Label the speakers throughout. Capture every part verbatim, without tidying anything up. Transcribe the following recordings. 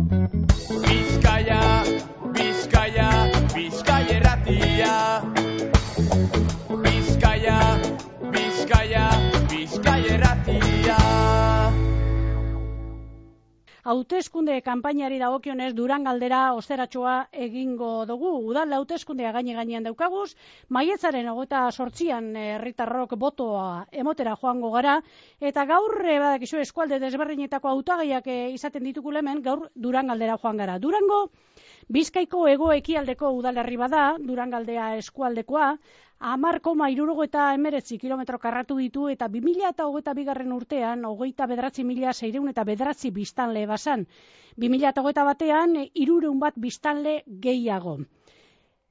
Speaker 1: Bizkaia, Bizkaia, Bizkaia erratia. Bizkaia, Bizkaia, Bizkaia erratia.
Speaker 2: Hauteskunde kanpainari dagokionez Duran galdera osteratxoa egingo dugu. Udal hauteskundea gaine gainean daukaguz, maiatzaren hogeita zortzian herritarrok botoa emotera joango gara, eta gaur badakizu eskualde desberdinetako hautagaiak izaten ditugu hemen, gaur Duran galdera joan gara. Durango Bizkaiko hego ekialdeko udalerri bada, Duran galdea eskualdekoa, hamar koma hirurogeita hemeretzi kilometro karratu ditu eta bi mila hogeita bigarren urtean hogeita bederatzi mila seiehun eta bederatzi biztanle bazan. bi mila hogeita batean hirurehun bat biztanle gehiago.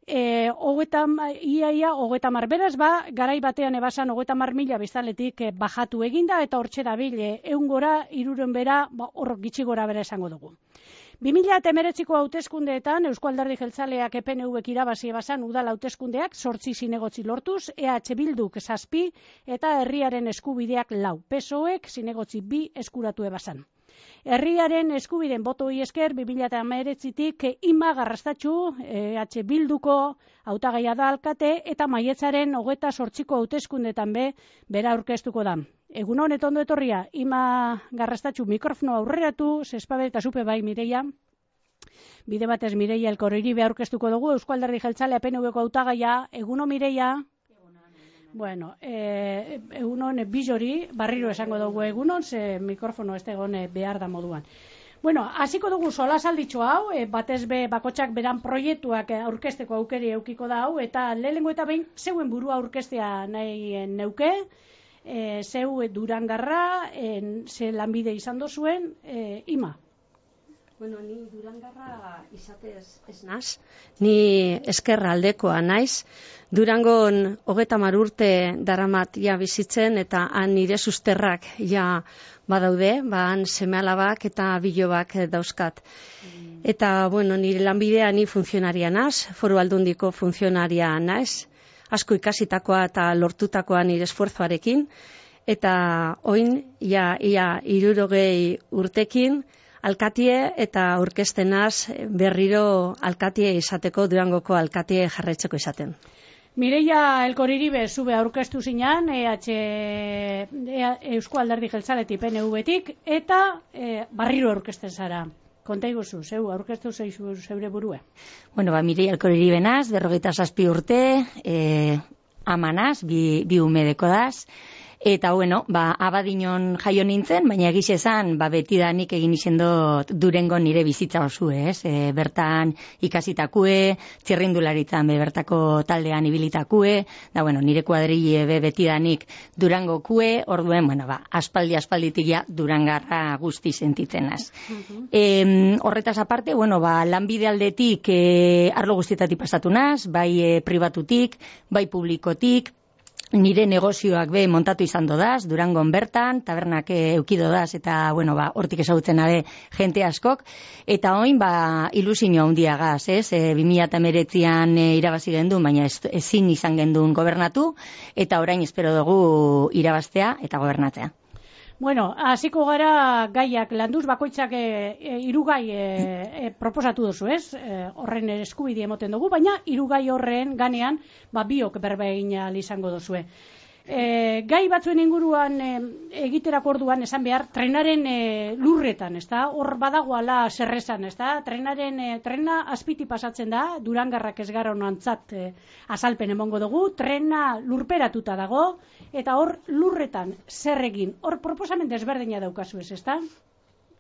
Speaker 2: E, hogeita, ia, ia, hogeita mar, beraz, ba, garai batean ebasan hogeita mar mila biztanletik e, bajatu eginda eta hortxe dabil, ehun gora, hirurehun bera, ba, hor gitxi gora bera esango dugu. bi mila hemeretziko hauteskundeetan Eusko Alderdi Jeltzaleak E P N Vek irabazi ebazan udal hauteskundeak zortzi zinegotzi lortuz, E H Bilduk zazpi eta herriaren eskubideak lau. P S O Ek zinegotzi bi eskuratu ebazan. Herriaren eskubiden botoi esker bi mila hemeretzitik Ima Garrastatxu, E H Bilduko hautagaia da alkate eta maiatzaren hogeita zortziko hauteskundetan be bera aurkeztuko da. Egun honet ondo etorria, Ima Garrastatxu mikrofono aurreratu, zespabe eta zupe bai Mireia. Bide batez Mireia Elkoriribe aurkeztuko dugu, Eusko Alderdi Jeltzalea E P N Vko hautagaia, eguno Mireia. Bueno, eh, egunon bizori, barriro esango dugu egunon, ze mikrofono ez egon behar da moduan. Bueno, hasiko dugu solasalditxo hau, e, batez be bakotxak beran proiektuak aurkesteko aukeri eukiko da hau, eta lehenengo eta behin zeuen burua aurkestea nahi neuke, e, zeu Durangarra, e, ze lanbide izan dozuen, e, Ima.
Speaker 3: Bueno, ni Durangarra izatez ez naz, ni eskerra aldekoa naiz. Durangon hogeita hamar urte daramat ja bizitzen eta han nire susterrak ja badaude, ba han seme-alabak eta bilobak dauzkat. Mm. Eta bueno, nire lanbidea ni funtzionaria naz, Foru Aldundiko funtzionaria naiz, asko ikasitakoa eta lortutakoa nire esfuerzoarekin, eta oin ja ia hirurogei urtekin alkatie eta aurkeztenaz berriro alkatie izateko, Durangoko alkatie jarraitzeko izaten.
Speaker 2: Mireia Elkoriribe zube aurkeztu zinan, E H Eusko Alderdi Jeltzaletik P N Vtik, eta e, barriro aurkezten zara. Konta iguzu, zeu, aurkeztu zeizu zeure burue.
Speaker 4: Bueno, ba, Mireia Elkoriribe naz, berrogeita zazpi urte, e, amanaz, bi, bi umedeko daz. Eta, bueno, ba, abadinon jaio nintzen, baina egiz esan, ba, betidanik egin izen dut Durengon nire bizitza osu, ez? E, bertan ikasitakue, txirrindularitzan be bertako taldean ibilitakue, da, bueno, nire kuadrille be betidanik Durango kue, orduen, bueno, ba, aspaldi aspalditik ja Durangarra guzti sentitzen az. Uh-huh. E, horretaz aparte, bueno, ba, lanbide aldetik e, arlo guztietatik pasatu naz, bai e, pribatutik, bai publikotik, nire negozioak be montatu izan dodaz, Durangon bertan, tabernak eukido daz, eta, bueno, ba, hortik ezagutzen abe jente askok, eta oin, ba, ilusinio handiagaz, ez, e, bi mila hemeretzian e, irabazi gendun, baina ez, ezin izan gendun gobernatu, eta orain espero dugu irabaztea eta gobernatzea.
Speaker 2: Bueno, hasiko gara gaiak landuz, bakoitzak e, e, irugai e, e, proposatu duzu, ez? E, horren eskubide emoten dugu, baina irugai horren ganean, ba, biok berba egin ahal izango duzue. E, gai batzuen inguruan e, egiterako orduan esan behar, trenaren e, lurretan, ezta? Hor badagoala zerrezan, ezta? Trenaren, e, trena azpiti pasatzen da, Durangarrak ez gara honantzat e, azalpen emongo dugu, trena lurperatuta dago, eta hor lurretan zer egin, hor proposamen desberdina daukazu ez, ezta?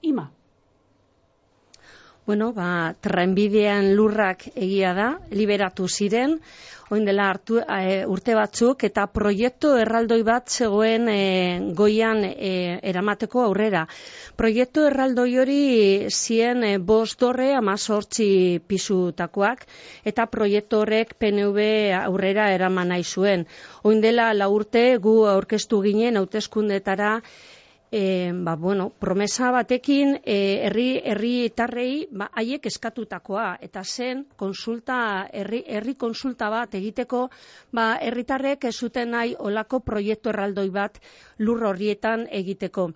Speaker 2: Ima.
Speaker 3: Bueno, ba, trenbidean lurrak egia da, liberatu ziren, oin dela hartu, e, urte batzuk, eta proiektu erraldoi bat zegoen e, goian e, eramateko aurrera. Proiektu erraldoi hori zien e, bost dorre amazortzi pisutakoak, eta proiektu horrek P N V aurrera eraman nahi zuen. Oin dela la urte gu aurkeztu ginen hauteskundetara, E, ba, bueno, promesa batekin e, herri herritarrei ba, haiek eskatutakoa eta zen konsulta herri herri konsulta bat egiteko ba herritarrek ez zuten nahi olako proiektu erraldoi bat lur horrietan egiteko.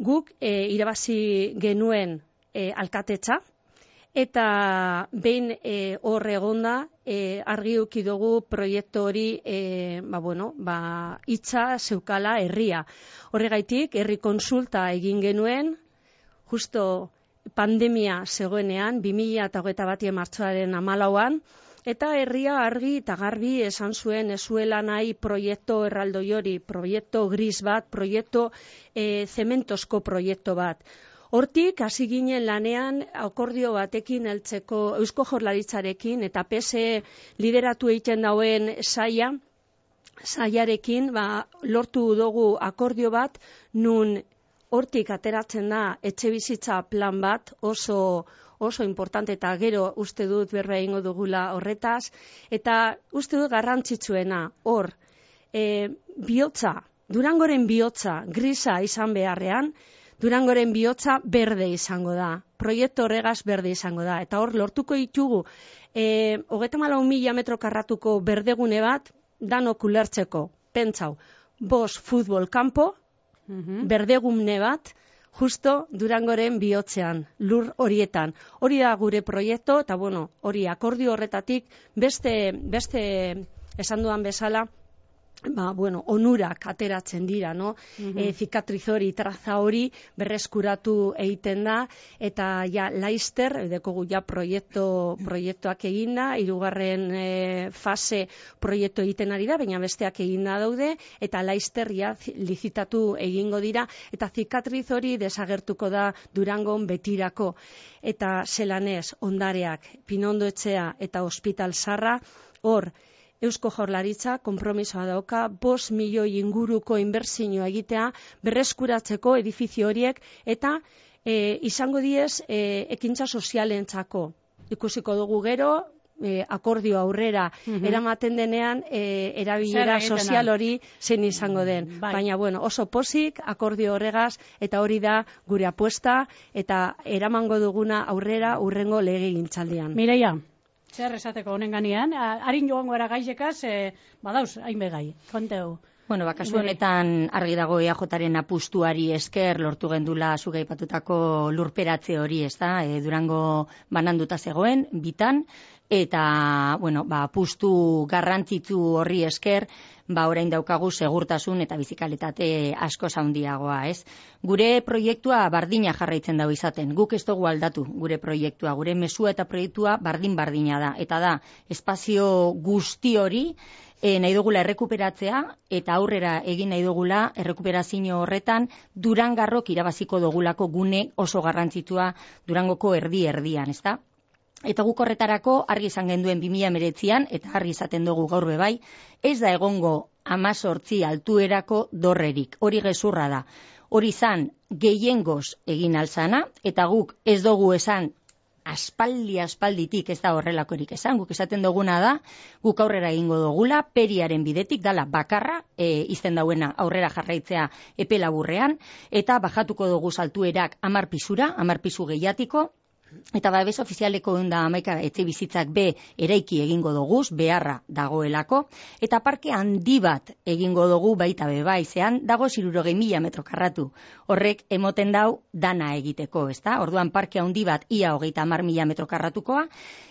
Speaker 3: Guk e, irabazi genuen e, alkatetza, eta behin e, hor egonda e, argi uki dugu proiektu hori e, ba, bueno, ba, hitza zeukala herria. Horregaitik, herri konsulta egin genuen, justo pandemia zegoenean, bi mila hogeita batien martxoaren hamalauan, eta herria argi eta garbi esan zuen ez zuela nahi proiektu erraldoi hori, proiektu gris bat, proiektu e, zementozko proiektu bat. Hortik, hasi ginen lanean akordio batekin heltzeko Eusko Jaurlaritzarekin eta P S E lideratu egiten dauen saia, saiarekin ba, lortu dugu akordio bat, nun hortik ateratzen da etxebizitza plan bat oso oso importante eta gero uste dut berba egingo dugula horretaz, eta uste dut garrantzitsuena hor, e, bihotza, Durangoren bihotza grisa izan beharrean, Durangoren bihotza berde izango da, proiektu horregaz berde izango da, eta hor lortuko ditugu, e, hogeita hamalau mila metro karratuko berdegune bat, danok ulertzeko, pentsau, bost futbol kanpo, mm-hmm. berdegune bat, justo Durangoren bihotzean, lur horietan. Hori da gure proiektu, eta bueno, hori akordio horretatik, beste, beste esan duan bezala, ba, bueno, onurak ateratzen dira, no? Mm-hmm. E, zikatriz hori, traza hori berreskuratu egiten da, eta ja, Laister, dekogu ja proiektu, proiektuak eginda, hirugarren e, fase proiektu egiten ari da, baina besteak eginda daude, eta Laister ja lizitatu egingo dira, eta zikatriz hori desagertuko da Durangon betirako, eta zelanez, ondareak, Pinondo etxea eta Hospital Zarra, hor, Eusko Jaurlaritza konpromisoa dauka bost milioi inguruko inbertsioa egitea berreskuratzeko edifizio horiek eta e, izango diez e, ekintza sozialentzako. Ikusiko dugu gero, e, akordio aurrera mm-hmm. eramaten denean e, erabilera sozial hori zein izango den. Bai. Baina bueno, oso pozik akordio horregaz eta hori da gure apuesta eta eramango duguna aurrera urrengo legegintzaldian.
Speaker 2: Mireia, zer esateko honen ganean, harin joango era gaizekaz, e, badauz, hainbe gai, konteu.
Speaker 4: Bueno, bakasu honetan argi dago E A Jaren apustuari esker lortu gendula zuga aipatutako lurperatze hori, ez da, e, Durango bananduta zegoen, bitan, eta, bueno, ba, apustu garrantzitsu horri esker, ba, orain daukagu segurtasun eta bizikalitate asko handiagoa, ez? Gure proiektua bardina jarraitzen dago izaten, guk ez dugu aldatu gure proiektua, gure mezua eta proiektua bardin-bardina da, eta da, espazio guzti hori, E, nahi dugula errekuperatzea eta aurrera egin nahi dugula errekuperazio horretan Durangarrok irabaziko dugulako gune oso garrantzitsua Durangoko erdi-erdian, ezta? Eta guk horretarako argi izan genduen bi mila hemeretzian eta argi izaten dugu gaur bebai, ez da egongo hemezortzi altuerako dorrerik, hori gezurra da. Hori izan gehiengoz egin alzana eta guk ez dugu esan aspaldi aspalditik ez da horrelakorik esan, guk esaten duguna da, guk aurrera egingo dugula, periaren bidetik dala bakarra, e, izten dauena aurrera jarraitzea epe laburrean, eta bajatuko dugu saltuerak hamar pisura, hamar pisu gehiatiko, eta babes ofizialeko ehun eta hamaika etxe bizitzak be eraiki egingo doguz, beharra dagoelako, eta parke handi bat egingo dugu baita bebai, zean dago hirurogei mila metro karratu. Horrek emoten dau dana egiteko, ezta? Orduan parke handi bat ia hogeita hamar mila metro karratukoa,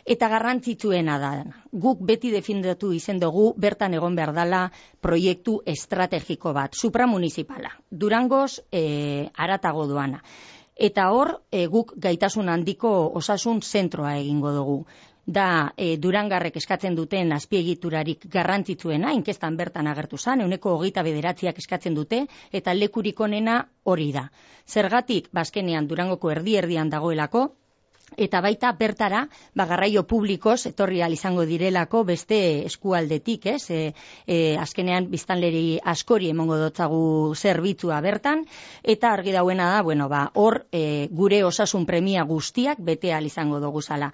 Speaker 4: eta garrantzitsuena da. Guk beti defendatu izen dugu bertan egon behar dala proiektu estrategiko bat, supramunicipala. Durangoz e, aratago doana. Eta hor, e, guk gaitasun handiko osasun zentroa egingo dugu. Da, e, Durangarrek eskatzen duten azpiegiturarik garrantzitsuena, inkestan bertan agertu zan, ehuneko hogeita bederatziak eskatzen dute, eta lekurik onena hori da. Zergatik, bazkenean Durangoko erdi-erdian dagoelako, eta baita bertara, ba, garraio publikoz etorri ahal izango direlako beste eskualdetik, ez? E, e, azkenean biztanleri askori emongo dotzagu zerbitzua bertan, eta argi dauena da, bueno, ba, hor e, gure osasun premia guztiak bete ahal izango dugu zala.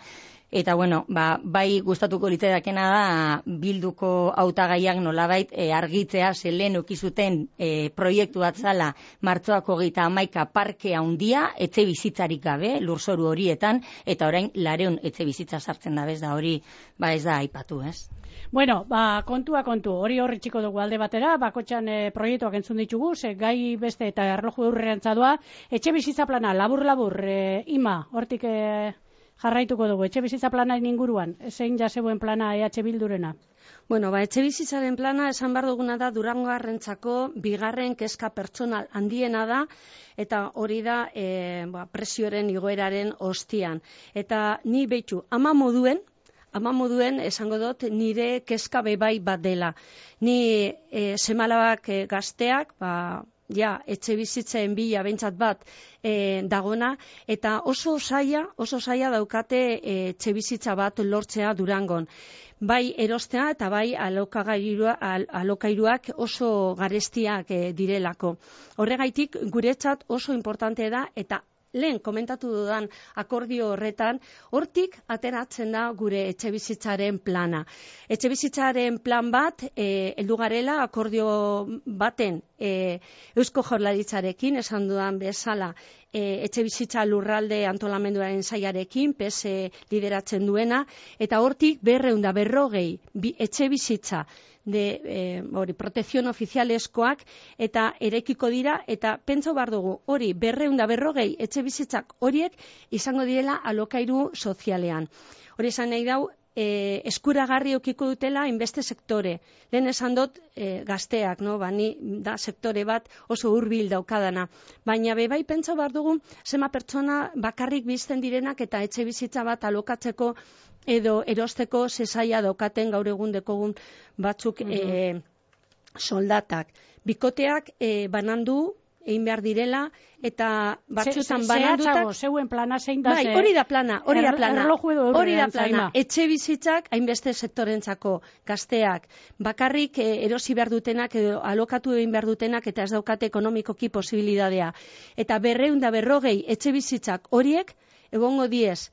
Speaker 4: Eta, bueno, ba, bai gustatuko litzaidakena da Bilduko hautagaiak nolabait e, argitzea, ze lehen ukizuten e, proiektu bat zala martxoako hogeita hamaika parke handia, etxe bizitzarik gabe, lurzoru horietan, eta orain lareun etxe bizitza sartzen da bez da hori, ba ez da aipatu, ez?
Speaker 2: Bueno, ba, kontua kontu, hori horri txiko dugu alde batera, bakotxan e, proiektuak entzun ditugu, ze gai beste eta erloju eurrerantza doa, etxe bizitza plana, labur-labur, e, ima, hortik e, jarraituko dugu, etxe bizitza planaren inguruan, zein jasegoen plana E H Bildurena?
Speaker 3: Bueno, ba, etxe bizitzaren plana esan behar duguna da Durangoarrentzako bigarren kezka pertsonal handiena da, eta hori da e, ba, presioaren igoeraren ostian. Eta ni behitu, ama moduen, ama moduen esango dut nire kezka bebai bat dela. Ni e, semalabak e, gazteak, ba, ja, etxe bizitzen bila bentsat bat e, dagona, eta oso zaila, oso zaila daukate e, etxe bizitza bat lortzea Durangon. Bai erostea eta bai alokairua, al, alokairuak oso garestiak e, direlako. Horregaitik guretzat oso importante da, eta lehen komentatu dudan akordio horretan, hortik ateratzen da gure etxebizitzaren plana. Etxebizitzaren plan bat, e, heldu garela akordio baten e, Eusko Jaurlaritzarekin, esan dudan bezala, e, etxebizitza lurralde antolamenduaren saiarekin, P S lideratzen duena, eta hortik berreun da berrogei bi, etxebizitza de eh, hori protekzion ofizialeskoak eta erekiko dira, eta pentso behar dugu hori berreun da berrogei etxe bizitzak horiek izango direla alokairu sozialean. Hori esan nahi dau, e, eskuragarri okiko dutela inbeste sektore. Lehen esan dut e, gazteak, no? Ba, ni da sektore bat oso hurbil daukadana. Baina bebai pentso behar dugu zema pertsona bakarrik bizten direnak eta etxe bizitza bat alokatzeko edo erosteko zesaia daukaten gaur egun dekogun batzuk mm-hmm. e, soldatak. Bikoteak e, banandu egin behar direla, eta batzutan banandutak...
Speaker 2: Zeuen plana zein da...
Speaker 3: Bai, hori da plana, hori da plana. Hori da plana. Etxe bizitzak, hainbeste sektorentzako gazteak, bakarrik e, erosi behar dutenak, edo alokatu egin behar dutenak, eta ez daukate ekonomikoki posibilidadea. Eta berreun da berrogei etxe bizitzak horiek, egongo diez,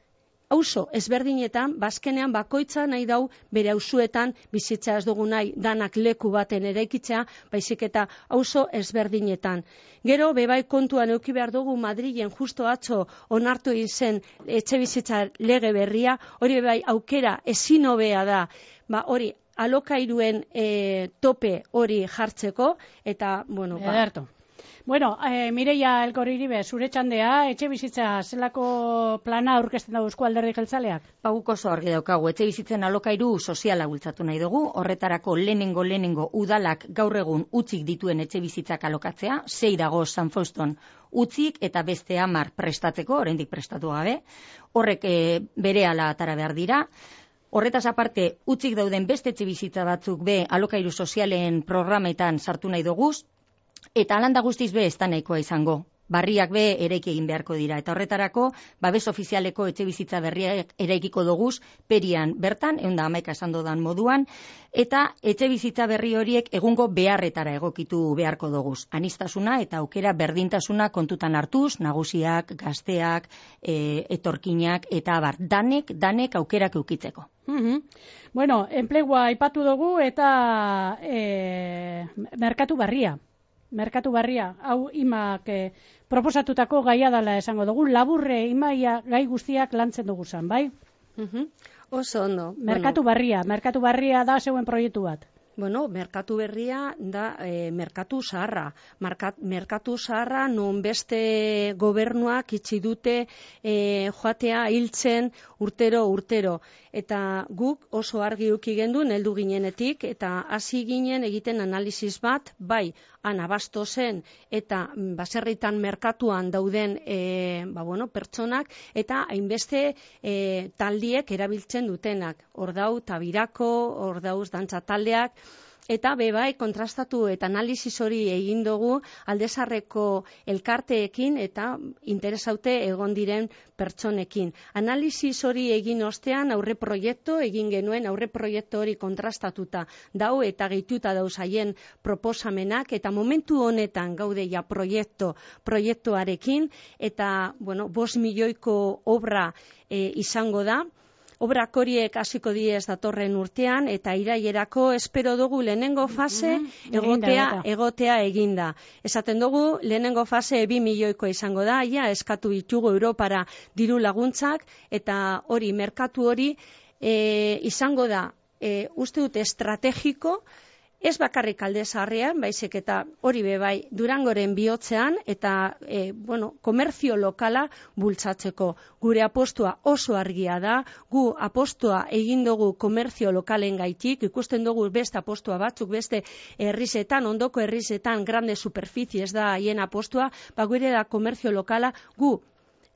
Speaker 3: auzo ezberdinetan, bazkenean bakoitza nahi dau bere auzuetan bizitza ez dugu nahi danak leku baten eraikitzea, baizik eta auzo ezberdinetan. Gero, bebai kontuan euki behar dugu Madrilen justo atzo onartu izen etxe bizitza lege berria, hori bebai aukera ezin hobea da, ba hori alokairuen e, tope hori jartzeko, eta, bueno, ba...
Speaker 2: Ederto. Bueno, eh, Mireia Elkoriribe, zure txandea, etxe bizitza zelako plana aurkezten dago Eusko Alderdi Jeltzaleak?
Speaker 4: Ba, guk oso argi daukagu, etxe bizitzen alokairu soziala bultzatu nahi dugu, horretarako lehenengo lehenengo udalak gaur egun utzik dituen etxe bizitzak alokatzea, sei dago San Fauston utzik eta beste hamar prestatzeko, oraindik prestatu gabe, horrek e, berehala atara behar dira. Horretaz aparte, utzik dauden beste etxe bizitza batzuk be alokairu sozialen programetan sartu nahi dugu, eta alanda guztiz be ez da nahikoa izango. Barriak be eraiki egin beharko dira. Eta horretarako, babes ofizialeko etxe bizitza berriak eraikiko doguz, perian bertan, ehun da hamaika esan dodan moduan, eta etxe bizitza berri horiek egungo beharretara egokitu beharko doguz. Anistasuna eta aukera berdintasuna kontutan hartuz, nagusiak, gazteak, e, etorkinak, eta abar, danek, danek aukerak eukitzeko.
Speaker 2: Mm-hmm. Bueno, enplegua aipatu dugu eta e, merkatu barria. Merkatu barria, hau imak eh, proposatutako gaia dela esango dugu, laburre imaia gai guztiak lantzen dugu zan, bai?
Speaker 3: Uh-huh. Oso ondo.
Speaker 2: Merkatu bueno. barria, merkatu barria da zeuen proiektu bat.
Speaker 3: Bueno, merkatu berria da e, merkatu zaharra. Markat, merkatu zaharra non beste gobernuak itxi dute e, joatea hiltzen urtero urtero. Eta guk oso argi uki gendun heldu ginenetik eta hasi ginen egiten analisis bat, bai, anabasto zen eta baserritan merkatuan dauden e, ba, bueno, pertsonak eta hainbeste e, taldiek erabiltzen dutenak. Ordau, tabirako, ordauz, dantza taldeak, eta bebai kontrastatu eta analisis hori egin dugu aldezarreko elkarteekin eta interesaute egon diren pertsonekin. Analisis hori egin ostean aurre proiektu egin genuen, aurre proiektu hori kontrastatuta dau eta gehituta dauz haien proposamenak, eta momentu honetan gaude ja proiektu, proiektuarekin, eta bueno, bost milioiko obra e, izango da. obrak horiek hasiko diez datorren urtean, eta irailerako espero dugu lehenengo fase
Speaker 2: Mhm,
Speaker 3: egotea,
Speaker 2: eginda,
Speaker 3: egotea eginda. Esaten dugu, lehenengo fase bi milioikoa izango da, ja, eskatu ditugu Europara diru laguntzak, eta hori, merkatu hori, e, izango da, e, uste dut estrategiko, ez bakarrik Alde Zaharrean, baizik eta hori be bai Durangoren bihotzean eta e, bueno, komerzio lokala bultzatzeko. Gure apostua oso argia da, gu apostua egin dugu komerzio lokalen gaitik, ikusten dugu beste apostua batzuk, beste herrizetan, ondoko herrizetan, grande superficies da haien apostua, ba gure da komerzio lokala, gu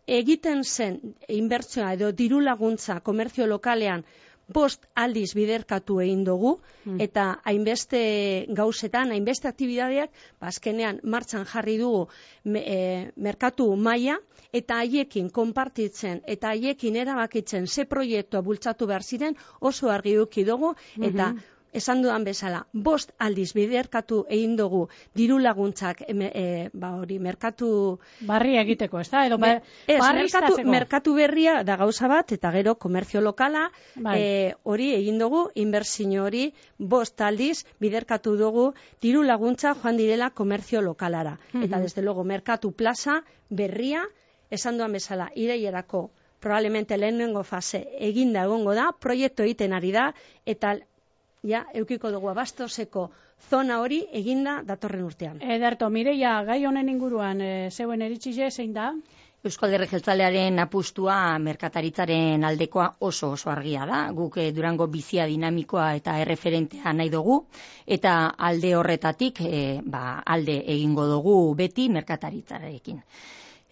Speaker 3: egiten zen inbertsioa edo diru laguntza komerzio lokalean bost aldiz biderkatu egin dugu, eta hainbeste gauzetan, hainbeste aktibidadeak, azkenean martxan jarri dugu me, e, merkatu maila, eta haiekin konpartitzen, eta haiekin erabakitzen ze proiektua bultzatu behar ziren, oso argi eduki dugu, eta esan dudan bezala, bost aldiz biderkatu egin dugu diru laguntzak e, ba hori, merkatu
Speaker 2: barria egiteko, ez da? Edo ba,
Speaker 3: ez,
Speaker 2: barri
Speaker 3: merkatu,
Speaker 2: iztatzeko.
Speaker 3: merkatu berria da gauza bat, eta gero komerzio lokala,
Speaker 2: Bai.
Speaker 3: e, hori egin dugu, inbertsio hori, bost aldiz biderkatu dugu diru laguntza joan direla komerzio lokalara. Eta desde luego, merkatu plaza berria, esan dudan bezala, irailerako probablemente lehenengo fase eginda egongo da, proiektu egiten ari da, eta ja, eukiko dugu abastoseko zona hori eginda datorren urtean.
Speaker 2: Ederto, Mireia, gai honen inguruan, e, zeuen eritxize, zein da?
Speaker 4: Eusko Alderdi Jeltzalearen apustua merkataritzaren aldekoa oso oso argia da. Guk eh, Durango bizia dinamikoa eta erreferentea nahi dugu, eta alde horretatik eh, ba, alde egingo dugu beti merkataritzarekin.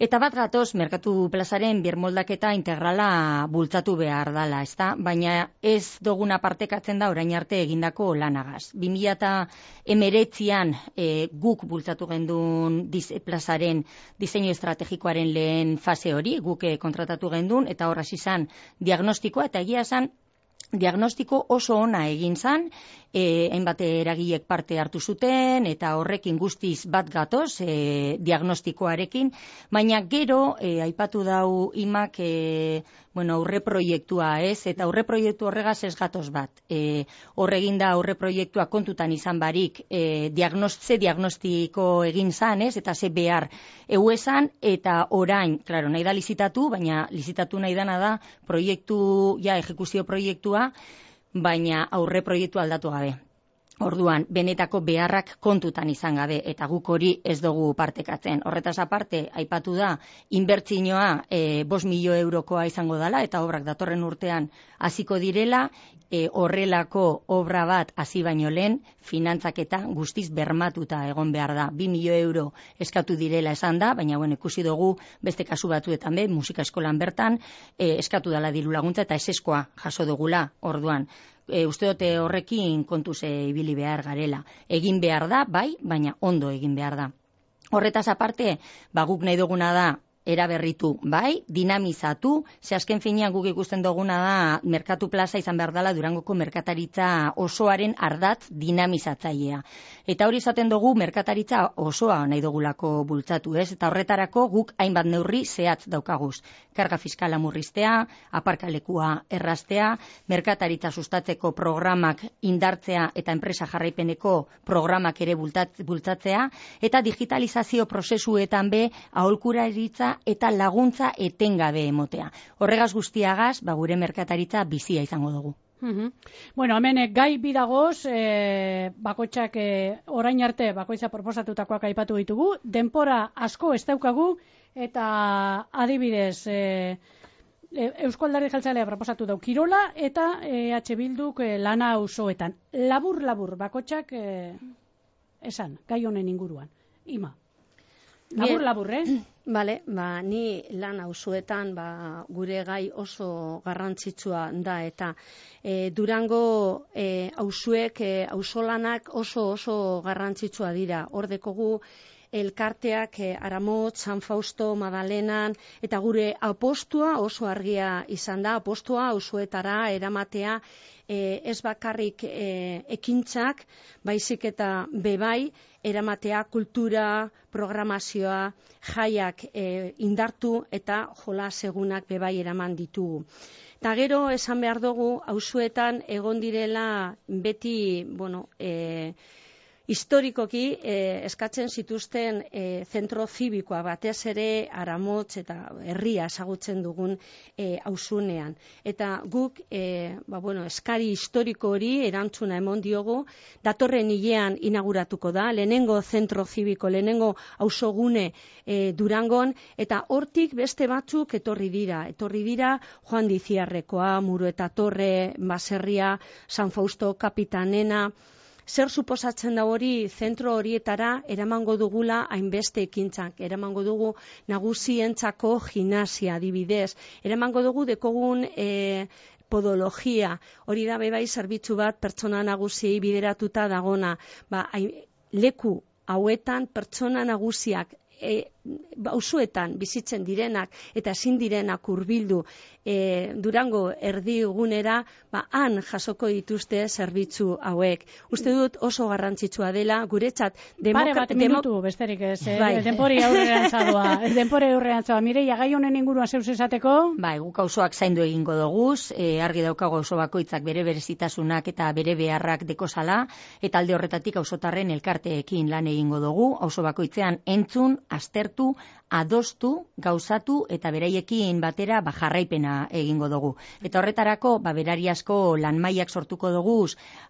Speaker 4: Eta bat gatoz, merkatu plazaren birmoldaketa integrala bultzatu behar dala, ezta? Baina ez duguna partekatzen da orain arte egindako lanagaz. bi mila hemeretzian e, guk bultzatu gendun diz, plazaren diseinu estrategikoaren lehen fase hori, guk e, kontratatu gendun, eta horraz izan diagnostikoa, eta egia esan diagnostiko oso ona egin zan, e, hainbat eragilek parte hartu zuten, eta horrekin guztiz bat gatoz e, diagnostikoarekin, baina gero e, aipatu dau imak e, bueno, aurre proiektua, ez? Eta aurre proiektu horregaz ez gatoz bat. E, horregin da aurre proiektua kontutan izan barik e, diagnost, ze diagnostiko egin zan, ez? Eta ze behar eu esan, eta orain, klaro, nahi da lizitatu, baina lizitatu nahi dana da proiektu, ja, ejekuzio proiektua, baina aurre proiektu aldatu gabe. Orduan, benetako beharrak kontutan izan gabe, eta guk hori ez dugu partekatzen. Horretaz aparte, aipatu da, inbertsioa e, bost milio eurokoa izango dela, eta obrak datorren urtean hasiko direla, e, horrelako obra bat hasi baino lehen, finantzaketa guztiz bermatuta egon behar da. Bi milio euro eskatu direla esan da, baina bueno, ikusi dugu beste kasu batzuetan be, musika eskolan bertan, e, eskatu dela diru laguntza eta eseskoa jaso dugula, orduan. E, uste dute horrekin kontuz ibili behar garela. Egin behar da, bai, baina ondo egin behar da. Horretaz aparte, ba, guk nahi duguna da, eraberritu, bai, dinamizatu, ze azken finean guk ikusten duguna da merkatu plaza izan behar dela Durangoko merkataritza osoaren ardatz dinamizatzailea. Eta hori izaten dugu merkataritza osoa nahi dugulako bultzatu, ez? Eta horretarako guk hainbat neurri zehatz daukaguz. Karga fiskala murriztea, aparkalekua erraztea, merkataritza sustatzeko programak indartzea eta enpresa jarraipeneko programak ere bultzatzea, eta digitalizazio prozesuetan be aholkularitza eta laguntza etengabe emotea. Horregaz guztiagaz, ba, gure merkataritza bizia izango dugu.
Speaker 2: Uhum. Bueno, hemen eh, gai bidagoz, eh, bakoitzak eh, orain arte bakoitza proposatutakoak aipatu ditugu, denpora asko ez daukagu, eta adibidez, eh, Eusko Alderdi Jeltzalea proposatu dau kirola, eta E H Bilduk eh, lana auzoetan. Labur-labur, bakoitzak eh, esan, gai honen inguruan. Ima. Labur-labur, eh?
Speaker 3: Bale, ba, ni lan auzoetan ba, gure gai oso garrantzitsua da, eta e, Durango e, auzuek, e, auzolanak oso oso garrantzitsua dira. Hor dekogu elkarteak e, Aramotz, San Fausto, Madalenan, eta gure apostua oso argia izan da, apostua auzoetara eramatea e, ez bakarrik e, ekintzak, baizik eta bebai, eramatea kultura, programazioa, jaiak e, indartu eta jolas egunak bebai eraman ditugu. Eta gero esan behar dugu, auzoetan egon direla beti, bueno, e, historikoki eh, eskatzen zituzten eh, zentro zibikoa batez ere Aramotz eta herria ezagutzen dugun eh, auzunean. Eta guk eh, ba, bueno, eskari historiko hori erantzuna emon diogu, datorren hilean inauguratuko da, lehenengo zentro zibiko, lehenengo auzogune eh, Durangon, eta hortik beste batzuk etorri dira. Etorri dira Joan Diziarrekoa, Murueta Torre, Baserria, San Fausto, Kapitanena. Zer suposatzen da hori zentro horietara eramango dugula hainbeste ekintzak, eramango dugu nagusientzako gimnasia adibidez, eramango dugu dekogun e, podologia, hori da bebai zerbitzu bat pertsona nagusiei bideratuta dagona, ba, hain, leku hauetan pertsona nagusiak e, auzoetan bizitzen direnak eta ezin direnak hurbildu e, Durango erdigunera, ba, han jasoko dituzte zerbitzu hauek. Uste dut oso garrantzitsua dela, guretzat
Speaker 2: Pare bat minutu, besterik ez, eh? Bai. Denpori aurrean zadoa, denpori aurrean zadoa. Mireia, gai honen inguruan zeuz esateko?
Speaker 4: Bai, guk auzoak zaindu egingo doguz, e, argi daukago auzo bakoitzak bere berezitasunak eta bere beharrak dekozala, eta alde horretatik auzotarren elkarteekin lan egingo dugu, auzo bakoitzean entzun, aztertu, adostu, gauzatu eta beraiekin batera ba, jarraipena egingo dugu. Eta horretarako ba, berariazko lanmaiak sortuko dugu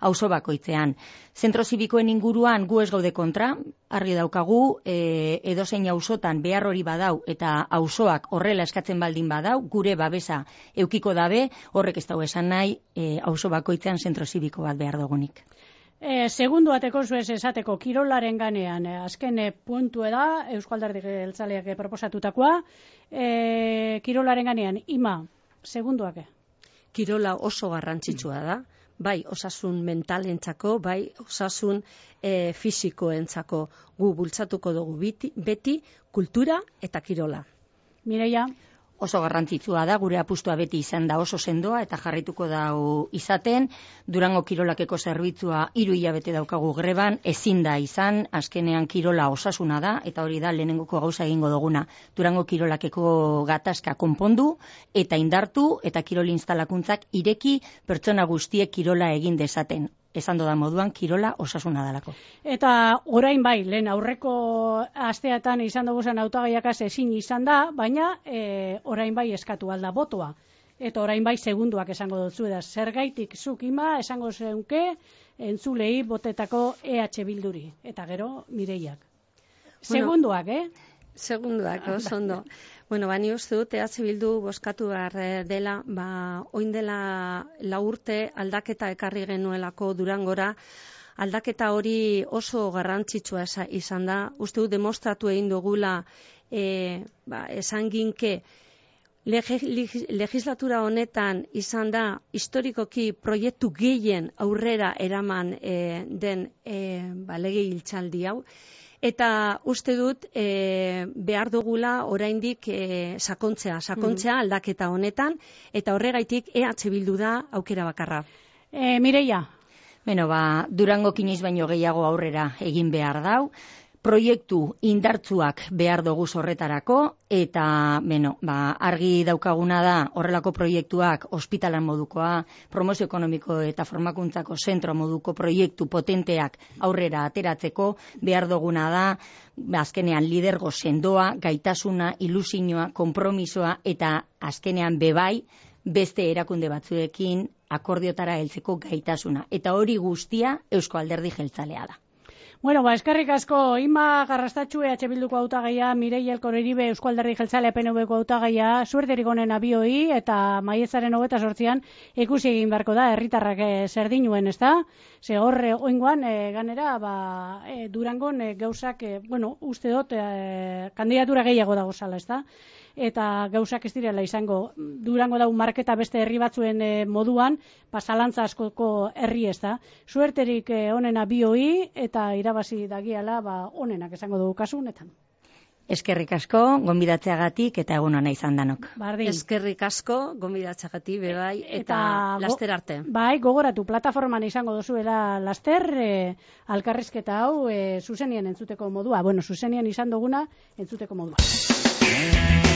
Speaker 4: auzo bakoitzean. Zentro zibikoen inguruan gu ez gaude kontra, argi daukagu e, edozein auzotan behar hori badau eta auzoak horrela eskatzen baldin badau, gure babesa eukiko dabe, horrek ez dago esan nahi e, auzo bakoitzean zentro zibiko bat behar dugunik.
Speaker 2: E, segundu bateko zuez esateko kirolaren ganean, e, azken e, puntu da, Eusko Alderdi Jeltzaleak e, proposatutakoa, e, kirolaren ganean, ima, segunduak.
Speaker 3: Kirola oso garrantzitsua da, bai osasun mentalentzako, bai osasun e, fisikoentzako, gu bultzatuko dugu beti, beti kultura eta kirola.
Speaker 2: Mireia?
Speaker 4: Oso garrantzitsua da, gure apustua beti izan da oso sendoa eta jarrituko dau izaten. Durango kirolakeko zerbitzua hiru hilabete daukagu greban, ezin da izan, azkenean kirola osasuna da, eta hori da lehenengoko gauza egingo duguna. Durango kirolakeko gatazka konpondu eta indartu eta kirol instalakuntzak ireki pertsona guztiek kirola egin dezaten. Esan doda moduan, kirola osasuna dalako.
Speaker 2: Eta orain bai, lehen aurreko asteatan izan dugu zen hautagaiakaz ezin izan da, baina e, orain bai eskatu alda botoa. Eta orain bai segunduak esango dutzu da. Zergaitik zuk ima esango zeunke entzulei botetako E H Bilduri. Eta gero Mireiak. Segunduak, bueno, eh?
Speaker 3: Segunduak, oso ondo. Bueno, bani uste dut, E H Bildu bozkatu behar dela, ba, oin dela lau urte aldaketa ekarri genuelako Durangora, aldaketa hori oso garrantzitsua izan da, uste dut demostratu egin dugula, e, ba, esan ginke, legislatura honetan izan da, historikoki proiektu gehien aurrera eraman e, den e, ba, lege hiltzaldi hau, eta uste dut e, behar dugula oraindik e, sakontzea, sakontzea aldaketa honetan, eta horregaitik E H Bildu da aukera bakarra.
Speaker 2: E, Mireia?
Speaker 4: Beno, ba, Durango kiniz baino gehiago aurrera egin behar dau, proiektu indartzuak behar dugu horretarako, eta beno, ba, argi daukaguna da horrelako proiektuak ospitalan modukoa, promozio ekonomiko eta formakuntzako zentro moduko proiektu potenteak aurrera ateratzeko, behar duguna da, azkenean lidergo sendoa, gaitasuna, ilusioa, konpromisoa eta azkenean bebai beste erakunde batzuekin akordiotara heltzeko gaitasuna. Eta hori guztia Eusko Alderdi Jeltzalea da.
Speaker 2: Bueno, ba, eskerrik asko, Ima Garrastatxu E H Bilduko hautagaia, Mireia Elkoreribe Eusko Alderdi Jeltzalea P N Vko hautagaia, suerterik onen abioi eta maiatzaren hogeita zortzian ikusi egin beharko da, herritarrak e, zer dinuen, ezta? Ze horre oingoan, e, ganera, ba, e, Durangon e, gauzak, e, bueno, uste dut, e, kandidatura gehiago dago zala, ezta? eta gauzak ez direla izango. Durango dau marketa beste herri batzuen e, moduan, ba, zalantza askoko herri ez da. Suerterik e, onena bioi eta irabazi dagiala ba, onenak esango dugu kasu honetan.
Speaker 4: Eskerrik asko, gonbidatzeagatik eta egun ona izan danok.
Speaker 2: Bardin.
Speaker 3: Eskerrik asko, gonbidatzeagatik bebai, eta, eta laster arte.
Speaker 2: Bai, gogoratu, plataforman izango dozuela laster, e, alkarrizketa hau e, zuzenien entzuteko modua. Bueno, zuzenien izan duguna entzuteko modua.